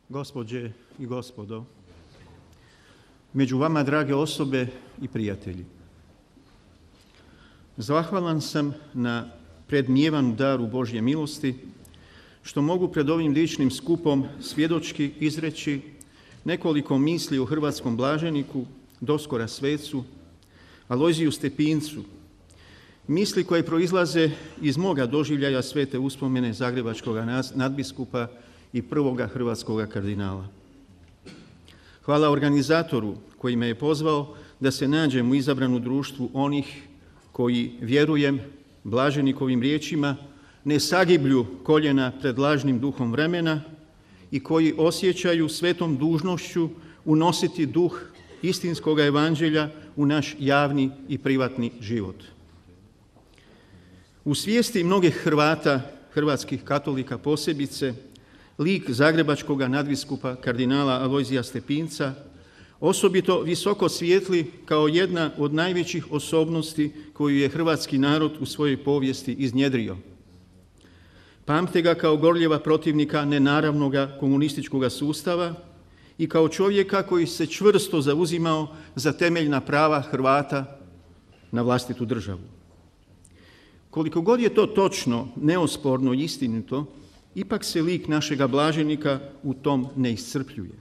Gospođe i gospodo, među vama drage osobe i prijatelji. Zahvalan sam na predmijevanu daru Božje milosti što mogu pred ovim ličnim skupom svjedočki izreći nekoliko misli o hrvatskom blaženiku, doskora svecu, Alojziju Stepincu, misli koje proizlaze iz moga doživljaja svete uspomene zagrebačkog nadbiskupa i prvoga hrvatskoga kardinala. Hvala organizatoru koji me je pozvao da se nađem u izabranu društvu onih koji, vjerujem, blaženikovim riječima, ne sagiblju koljena pred lažnim duhom vremena i koji osjećaju svetom dužnošću unositi duh istinskog evanđelja u naš javni i privatni život. U svijesti mnogih Hrvata, hrvatskih katolika posebice, lik zagrebačkog nadbiskupa kardinala Alojzija Stepinca osobito visoko svijetli kao jedna od najvećih osobnosti koju je hrvatski narod u svojoj povijesti iznjedrio. Pamte ga kao gorljeva protivnika nenaravnoga komunističkog sustava i kao čovjeka koji se čvrsto zauzimao za temeljna prava Hrvata na vlastitu državu. Koliko god je to točno, neosporno i istinito, ipak se lik našega blaženika u tom ne iscrpljuje.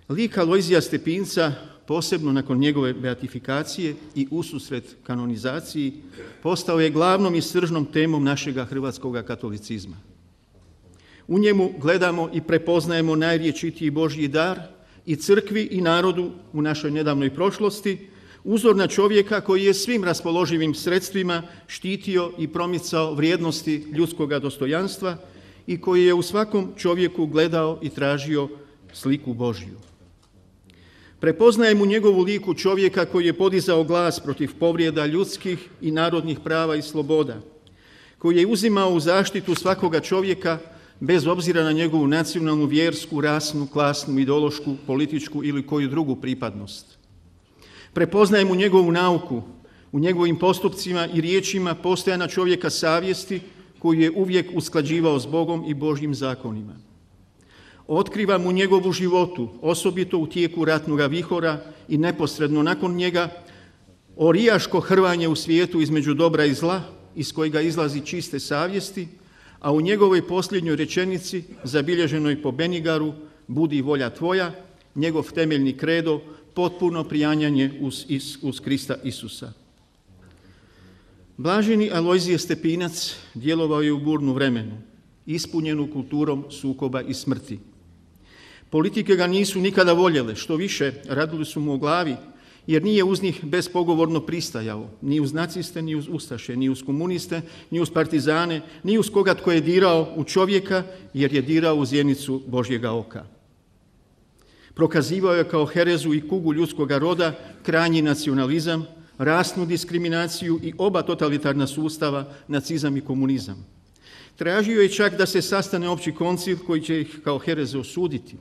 Lik Alojzija Stepinca, posebno nakon njegove beatifikacije i ususret kanonizaciji, postao je glavnom i sržnom temom našega hrvatskoga katolicizma. U njemu gledamo i prepoznajemo najrječitiji Božji dar i crkvi i narodu u našoj nedavnoj prošlosti, uzor na čovjeka koji je svim raspoloživim sredstvima štitio i promicao vrijednosti ljudskoga dostojanstva i koji je u svakom čovjeku gledao i tražio sliku Božju. Prepoznajem u njegovu liku čovjeka koji je podizao glas protiv povrijeda ljudskih i narodnih prava i sloboda, koji je uzimao u zaštitu svakoga čovjeka bez obzira na njegovu nacionalnu, vjersku, rasnu, klasnu, ideološku, političku ili koju drugu pripadnost. Prepoznajem u njegovu nauku, u njegovim postupcima i riječima postojana čovjeka savjesti koju je uvijek usklađivao s Bogom i Božjim zakonima. Otkrivam u njegovu životu, osobito u tijeku ratnoga vihora i neposredno nakon njega, orijaško hrvanje u svijetu između dobra i zla, iz kojega izlazi čiste savjesti, a u njegovoj posljednjoj rečenici, zabilježenoj po Benigaru, budi volja tvoja, njegov temeljni kredo, potpuno prijanjanje uz Krista Isusa. Blaženi Alojzije Stepinac djelovao je u burnu vremenu, ispunjenu kulturom sukoba i smrti. Politike ga nisu nikada voljele, što više, radili su mu o glavi, jer nije uz njih bespogovorno pristajao, ni uz naciste, ni uz ustaše, ni uz komuniste, ni uz partizane, ni uz koga tko je dirao u čovjeka, jer je dirao u zjenicu Božjega oka. Prokazivao je kao herezu i kugu ljudskoga roda krajnji nacionalizam, rasnu diskriminaciju i oba totalitarna sustava, nacizam i komunizam. Tražio je čak da se sastane opći koncil koji će ih kao hereze osuditi.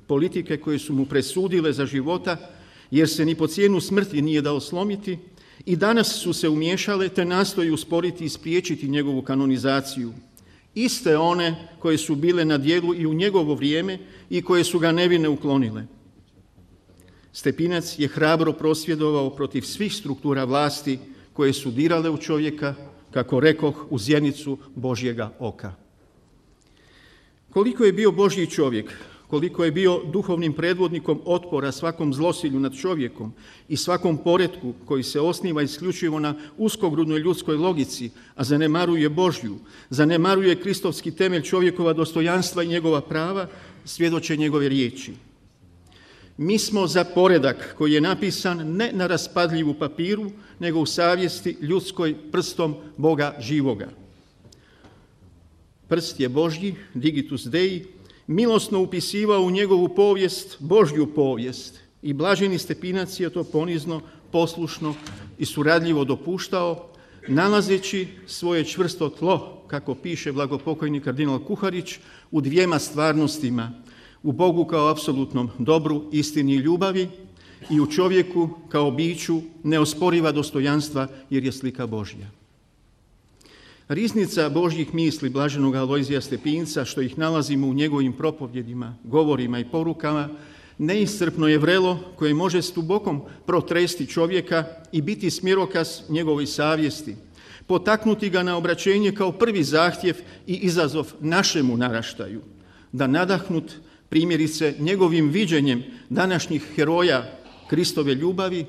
Politike koje su mu presudile za života, jer se ni po cijenu smrti nije dao slomiti, i danas su se umiješale te nastoji usporiti i spriječiti njegovu kanonizaciju. Iste one koje su bile na djelu i u njegovo vrijeme i koje su ga nevine uklonile. Stepinac je hrabro prosvjedovao protiv svih struktura vlasti koje su dirale u čovjeka, kako rekoh, u zjenicu Božjega oka. Koliko je bio Božji čovjek, koliko je bio duhovnim predvodnikom otpora svakom zlosilju nad čovjekom i svakom poretku koji se osniva isključivo na uskogrudnoj ljudskoj logici, a zanemaruje Božju, zanemaruje kristovski temelj čovjekova dostojanstva i njegova prava, svjedoče njegove riječi. Mi smo za poredak koji je napisan ne na raspadljivu papiru, nego u savjesti ljudskoj prstom Boga živoga. Prst je Božji, digitus Dei, milosno upisivao u njegovu povijest Božju povijest i blaženi Stepinac je to ponizno, poslušno i suradljivo dopuštao, nalazeći svoje čvrsto tlo, kako piše blagopokojni kardinal Kuharić, u dvijema stvarnostima, u Bogu kao apsolutnom dobru, istini i ljubavi i u čovjeku kao biću neosporiva dostojanstva jer je slika Božja. Riznica Božjih misli blaženog Alojzija Stepinca, što ih nalazimo u njegovim propovjedima, govorima i porukama, neiscrpno je vrelo koje može s dubokom protresti čovjeka i biti smjerokaz njegovoj savjesti, potaknuti ga na obraćenje kao prvi zahtjev i izazov našemu naraštaju, da nadahnut primjerice njegovim viđenjem današnjih heroja Kristove ljubavi,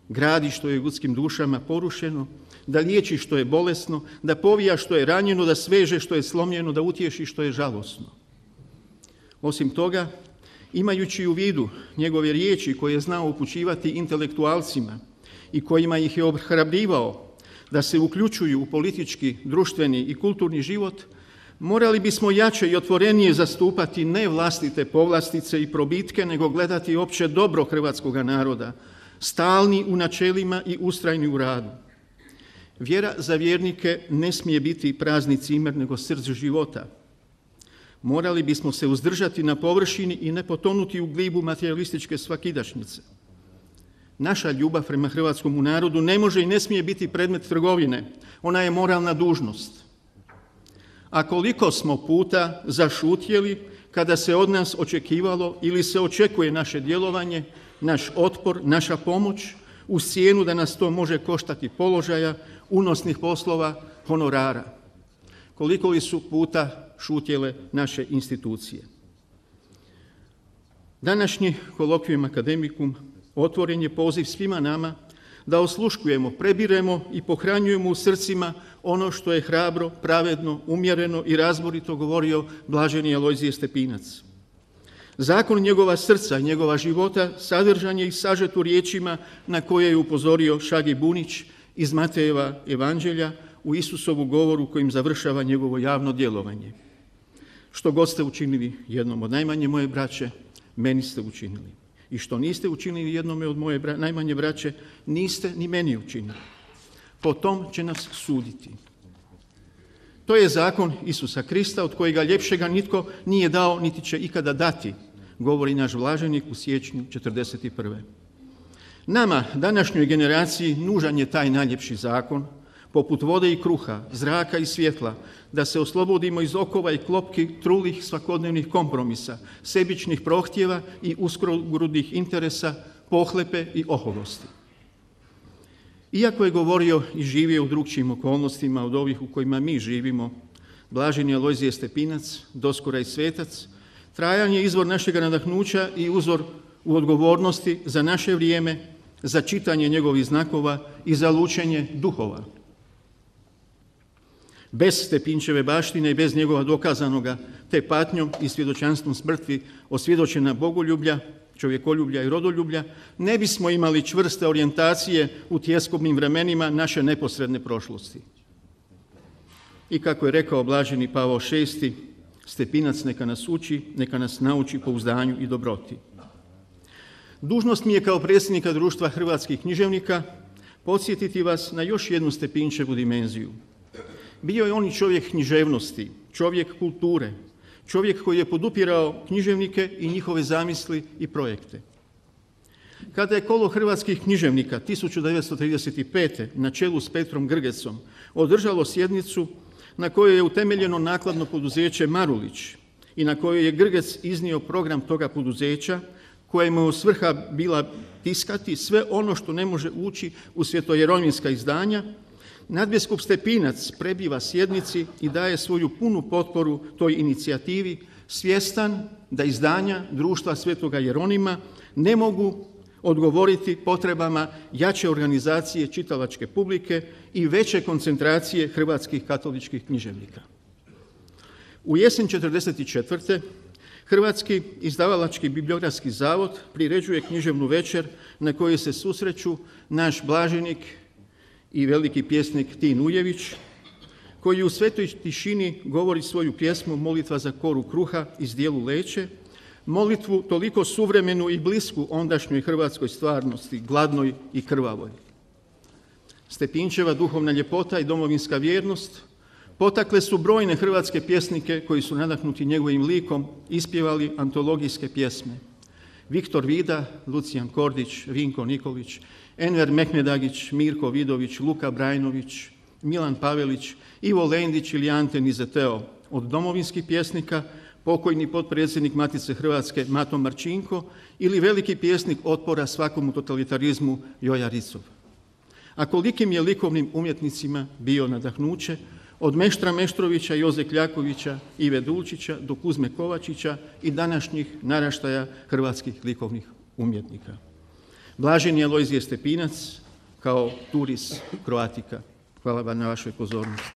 gradi što je ljudskim dušama porušeno, da liječi što je bolesno, da povija što je ranjeno, da sveže što je slomljeno, da utješi što je žalosno. Osim toga, imajući u vidu njegove riječi koje je znao upućivati intelektualcima i kojima ih je ohrabrivao da se uključuju u politički, društveni i kulturni život, morali bismo jače i otvorenije zastupati ne vlastite povlastice i probitke, nego gledati opće dobro hrvatskoga naroda, stalni u načelima i ustrajni u radu. Vjera za vjernike ne smije biti prazni cimer, nego srce života. Morali bismo se uzdržati na površini i ne potonuti u glibu materijalističke svakidašnjice. Naša ljubav prema hrvatskom narodu ne može i ne smije biti predmet trgovine. Ona je moralna dužnost. A koliko smo puta zašutjeli kada se od nas očekivalo ili se očekuje naše djelovanje, naš otpor, naša pomoć, uz cijenu da nas to može koštati položaja, unosnih poslova, honorara. Koliko li su puta šutjele naše institucije. Današnji kolokvijum akademikum otvoren je poziv svima nama da osluškujemo, prebiremo i pohranjujemo u srcima ono što je hrabro, pravedno, umjereno i razborito govorio blaženi Alojzije Stepinac. Zakon njegova srca i njegova života sadržan je i sažet u riječima na koje je upozorio Šagi Bunić iz Matejeva evanđelja u Isusovu govoru kojim završava njegovo javno djelovanje. Što god ste učinili jednom od najmanje moje braće, meni ste učinili. I što niste učinili jednome od moje najmanje braće, niste ni meni učinili. Po tom će nas suditi. To je zakon Isusa Krista, od kojega ljepšega nitko nije dao, niti će ikada dati, govori naš blaženik u siječnju 1941. Nama, današnjoj generaciji, nužan je taj najljepši zakon, poput vode i kruha, zraka i svjetla, da se oslobodimo iz okova i klopki trulih svakodnevnih kompromisa, sebičnih prohtjeva i uskrogrudnih interesa, pohlepe i oholosti. Iako je govorio i živio u drugčijim okolnostima od ovih u kojima mi živimo, blaženi Alojzije Stepinac, doskora i svetac, trajan je izvor našeg nadahnuća i uzor u odgovornosti za naše vrijeme, za čitanje njegovih znakova i za lučenje duhova. Bez Stepinčeve baštine i bez njegova dokazanoga te patnjom i svjedočanstvom smrti osvjedočena bogoljublja, čovjekoljublja i rodoljublja, ne bismo imali čvrste orijentacije u tjeskobnim vremenima naše neposredne prošlosti. I kako je rekao blaženi Pavao VI, Stepinac neka nas uči, neka nas nauči pouzdanju i dobroti. Dužnost mi je kao predsjednika Društva hrvatskih književnika podsjetiti vas na još jednu Stepinčevu dimenziju. Bio je on i čovjek književnosti, čovjek kulture, čovjek koji je podupirao književnike i njihove zamisli i projekte. Kada je kolo hrvatskih književnika 1935. na čelu s Petrom Grgecom održalo sjednicu na kojoj je utemeljeno nakladno poduzeće Marulić i na kojoj je Grgec iznio program toga poduzeća, kojemu je svrha bila tiskati sve ono što ne može ući u svjetojeronimska izdanja, nadbiskup Stepinac prebiva sjednici i daje svoju punu potporu toj inicijativi, svjestan da izdanja Društva Svetoga Jeronima ne mogu odgovoriti potrebama jače organizacije čitalačke publike i veće koncentracije hrvatskih katoličkih književnika. U jesen 1944. Hrvatski izdavalački bibliografski zavod priređuje književnu večer na kojoj se susreću naš blaženik i veliki pjesnik Tin Ujević, koji u svetoj tišini govori svoju pjesmu Molitva za koru kruha iz dijelu Leće, molitvu toliko suvremenu i blisku ondašnjoj hrvatskoj stvarnosti, gladnoj i krvavoj. Stepinčeva duhovna ljepota i domovinska vjernost potakle su brojne hrvatske pjesnike koji su nadahnuti njegovim likom ispjevali antologijske pjesme. Viktor Vida, Lucijan Kordić, Vinko Nikolić, Enver Mehmedagić, Mirko Vidović, Luka Brajnović, Milan Pavelić, Ivo Lendić ili Ante Nizeteo. Od domovinskih pjesnika pokojni potpredsjednik Matice Hrvatske Mato Marčinko ili veliki pjesnik otpora svakomu totalitarizmu Joja Ricov. A kolikim je likovnim umjetnicima bio nadahnuće od Meštra Meštrovića, Joze Kljakovića, Ive Dulčića do Kuzme Kovačića i današnjih naraštaja hrvatskih likovnih umjetnika. Blaženi Alojzije Stepinac kao Turis Croatica. Hvala vam na vašoj pozornosti.